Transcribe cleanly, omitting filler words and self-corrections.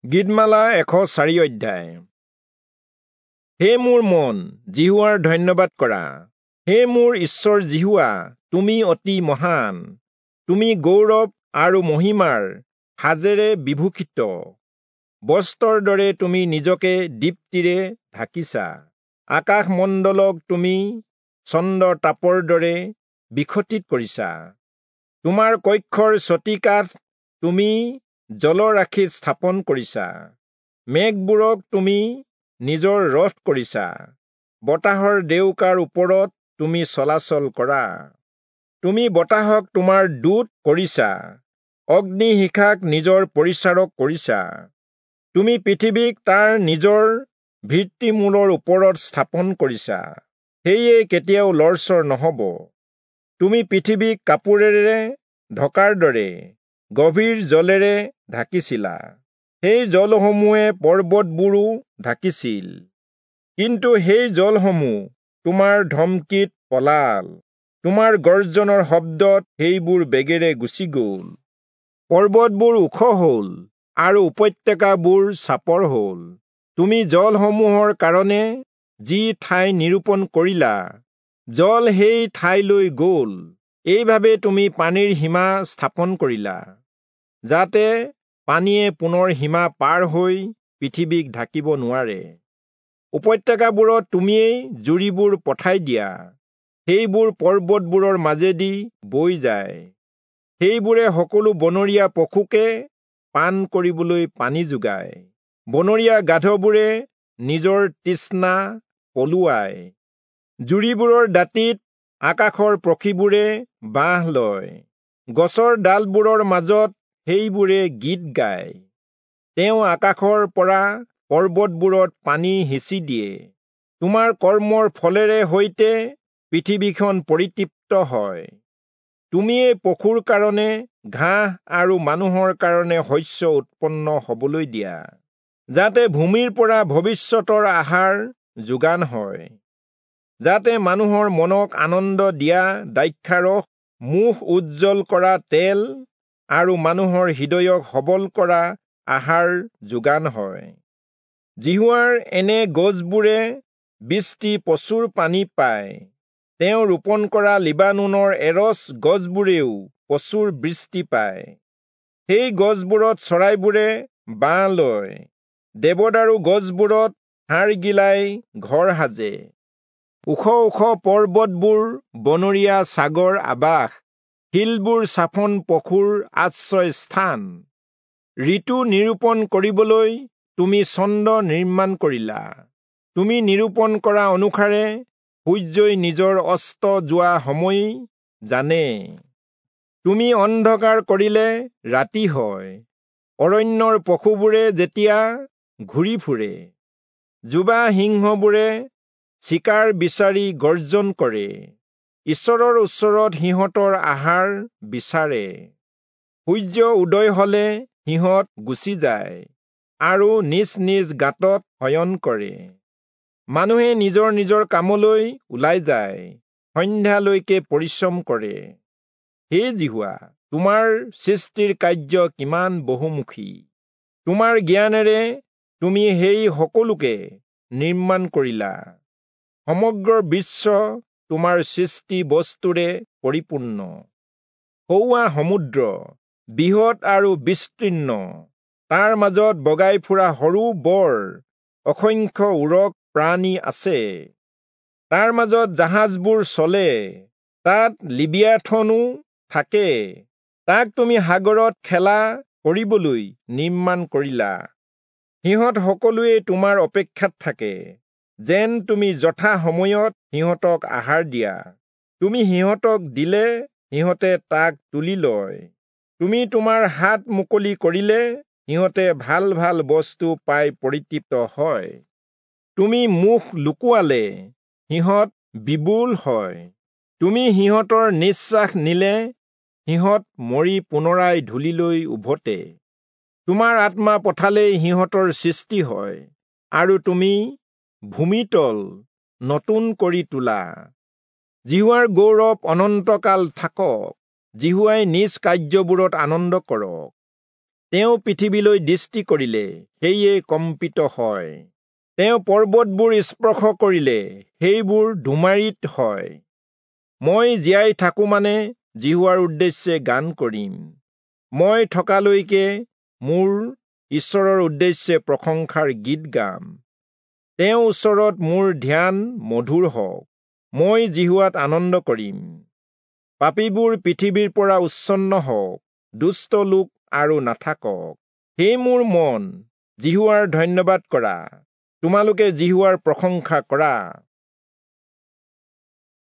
গীতমালা 104 অধ্যায়। হে মোৰ মন, যিহোৱাৰ ধন্যবাদ কৰা। হে মোৰ ঈশ্বৰ যিহোৱা, তুমি অতি মহান। তুমি গৌৰৱ আৰু মহিমাৰ সাজেৰে বিভূষিত। বস্ত্ৰৰ দৰে তুমি নিজকে দীপ্তিৰে ঢাকিছা। আকাশমণ্ডলক তুমি চন্দ্ৰ তাপৰ দৰে বিকশিত কৰিছা। তোমাৰ কক্ষৰ চতিকাঠ তুমি জলৰাশিত স্থাপন কৰিছা। মেঘবোৰক তুমি নিজৰ ৰথ কৰিছা। বতাহৰ ডেউকাৰ ওপৰত তুমি চলাচল কৰা। তুমি বতাহক তোমাৰ দূত কৰিছা, অগ্নিশিখাক নিজৰ পৰিচাৰক কৰিছা। তুমি পৃথিৱীক তাৰ নিজৰ ভিত্তিমূলৰ ওপৰত স্থাপন কৰিছা, সেয়ে কেতিয়াও লৰচৰ নহ'ব। তুমি পৃথিৱীক কাপোৰেৰে ঢকাৰ দৰে গভীৰ জলেৰে ঢাকিছিলা। সেই জলসমূহে পৰ্বতবোৰো ঢাকিছিল, কিন্তু সেই জলসমূহ তোমাৰ ধমকিত পলাল। তোমাৰ গৰ্জনৰ শব্দত সেইবোৰ বেগেৰে গুচি গ'ল। পৰ্বতবোৰ ওখ হ'ল আৰু উপত্যকাবোৰ চাপৰ হ'ল। তুমি জলসমূহৰ কাৰণে যি ঠাই নিৰূপণ কৰিলা, জল সেই ঠাইলৈ গ'ল। এইভাবে তুমি পানীৰ সীমা স্থাপন কৰিলা, যাতে পানীয়ে পুনৰ সীমা পাৰ হৈ পৃথিৱীক ঢাকিব নোৱাৰে। উপত্যকাবোৰত তুমিয়েই জুৰিবোৰ পঠাই দিয়া, সেইবোৰ পৰ্বতবোৰৰ মাজেদি বৈ যায়। সেইবোৰে সকলো বনৰীয়া পশুকে পান কৰিবলৈ পানী যোগায়। বনৰীয়া গাধবোৰে নিজৰ তৃষ্ণা পলুৱায়। জুৰিবোৰৰ দাঁতিত আকাশৰ পক্ষীবোৰে বাহ লয়। গছৰ ডালবোৰৰ মাজত সেইবোৰে গীত গায়। তেওঁ আকাশৰ পৰা পৰ্বতবোৰত পানী সিঁচি দিয়ে। তোমাৰ কৰ্মৰ ফলেৰে সৈতে পৃথিৱীখন পৰিতৃপ্ত হয়। তুমিয়ে পশুৰ কাৰণে ঘাঁহ আৰু মানুহৰ কাৰণে শস্য উৎপন্ন হ'বলৈ দিয়া, যাতে ভূমিৰ পৰা ভৱিষ্যতৰ আহাৰ যোগান হয়, যাতে মানুহৰ মনক আনন্দ দিয়া দ্ৰাক্ষাৰস, মুখ উজ্জ্বল কৰা তেল আৰু মানুহৰ হৃদয়ক সবল কৰা আহাৰ যোগান হয়। যিহোৱাৰ এনে গছবোৰে বৃষ্টি প্ৰচুৰ পানী পায়। তেওঁ ৰোপণ কৰা লিবানোনৰ এৰচ গছবোৰেও প্ৰচুৰ বৃষ্টি পায়। সেই গছবোৰত চৰাইবোৰে বাহ লয়। দেৱদাৰু গছবোৰত হাড়গিলাই ঘৰ সাজে। ওখ ওখ পৰ্বতবোৰ বনৰীয়া ছাগৰ আৱাস, শিলবোৰ চাফন পশুৰ আশ্ৰয় স্থান। ঋতু নিৰূপণ কৰিবলৈ তুমি চন্দ্ৰ নিৰ্মাণ কৰিলা। তুমি নিৰূপণ কৰা অনুসাৰে সূৰ্যই নিজৰ অস্ত যোৱা সময় জানে। তুমি অন্ধকাৰ কৰিলে ৰাতি হয়। অৰণ্যৰ পশুবোৰে যেতিয়া ঘূৰি ফুৰে, যুৱা সিংহবোৰে চিকাৰ বিচাৰি গৰ্জন কৰে। ঈশ্বৰৰ ওচৰত সিহঁতৰ আহাৰ বিচাৰে। সূৰ্য উদয় হলে সিহঁত গুচি যায় আৰু নিজ নিজ গাঁতত শয়ন কৰে। মানুহে নিজৰ নিজৰ কামলৈ ওলাই যায়, সন্ধ্যালৈকে পৰিশ্ৰম কৰে। হে যিহোৱা, তোমাৰ সৃষ্টিৰ কাৰ্য কিমান বহুমুখী! তোমাৰ জ্ঞানেৰে তুমি সেই সকলোকে নিৰ্মাণ কৰিলা। সমগ্ৰ বিশ্ব তোমাৰ সৃষ্টি বস্তুৰে পৰিপূৰ্ণ। সৌৱা সমুদ্ৰ বৃহৎ আৰু বিস্তীৰ্ণ, তাৰ মাজত বগাই ফুৰা সৰু বৰ অসংখ্য উৰগ প্ৰাণী আছে। তাৰ মাজত জাহাজবোৰ চলে, তাত লিবিয়াথনো থাকে। তাক তুমি সাগৰত খেলা কৰিবলৈ নিৰ্মাণ কৰিলা। সিহঁত সকলোৱে তোমাৰ অপেক্ষাত থাকে, যেন তুমি যথা সময়ত সিহঁতক আহাৰ দিয়া। তুমি সিহঁতক দিলে সিহঁতে তাক তুলি লয়। তুমি তোমাৰ হাত মুকলি কৰিলে সিহঁতে ভাল ভাল বস্তু পাই পৰিতৃপ্ত হয়। তুমি মুখ লুকুৱালে সিহঁত বিবুল হয়। তুমি সিহঁতৰ নিশ্বাস নিলে সিহঁত মৰি পুনৰাই ধূলিলৈ উভতে। তোমাৰ আত্মা পঠালেই সিহঁতৰ সৃষ্টি হয়, আৰু তুমি ভূমিতল নতুন কৰি তোলা। যিহোৱাৰ গৌৰৱ অনন্তকাল থাকক। যিহোৱাই নিজ কাৰ্যবোৰত আনন্দ কৰক। তেওঁ পৃথিৱীলৈ দৃষ্টি কৰিলে, সেয়ে কম্পিত হয়। তেওঁ পৰ্বতবোৰ স্পৰ্শ কৰিলে, সেইবোৰ ধুমাৰিত হয়। মই জীয়াই থাকো মানে যিহোৱাৰ উদ্দেশ্যে গান কৰিম। মই থকালৈকে মোৰ ঈশ্বৰৰ উদ্দেশ্যে প্ৰশংসাৰ গীত গাম। তেওঁ ওচৰত মোৰ ধ্যান মধুৰ হওক। মই যিহোৱাত আনন্দ কৰিম। পাপীবোৰ পৃথিৱীৰ পৰা উচ্ছন্ন হওক, দুষ্ট লোক আৰু নাথাকক। হে মোৰ মন, যিহোৱাৰ ধন্যবাদ কৰা। তোমালোকে যিহোৱাৰ প্ৰশংসা কৰা।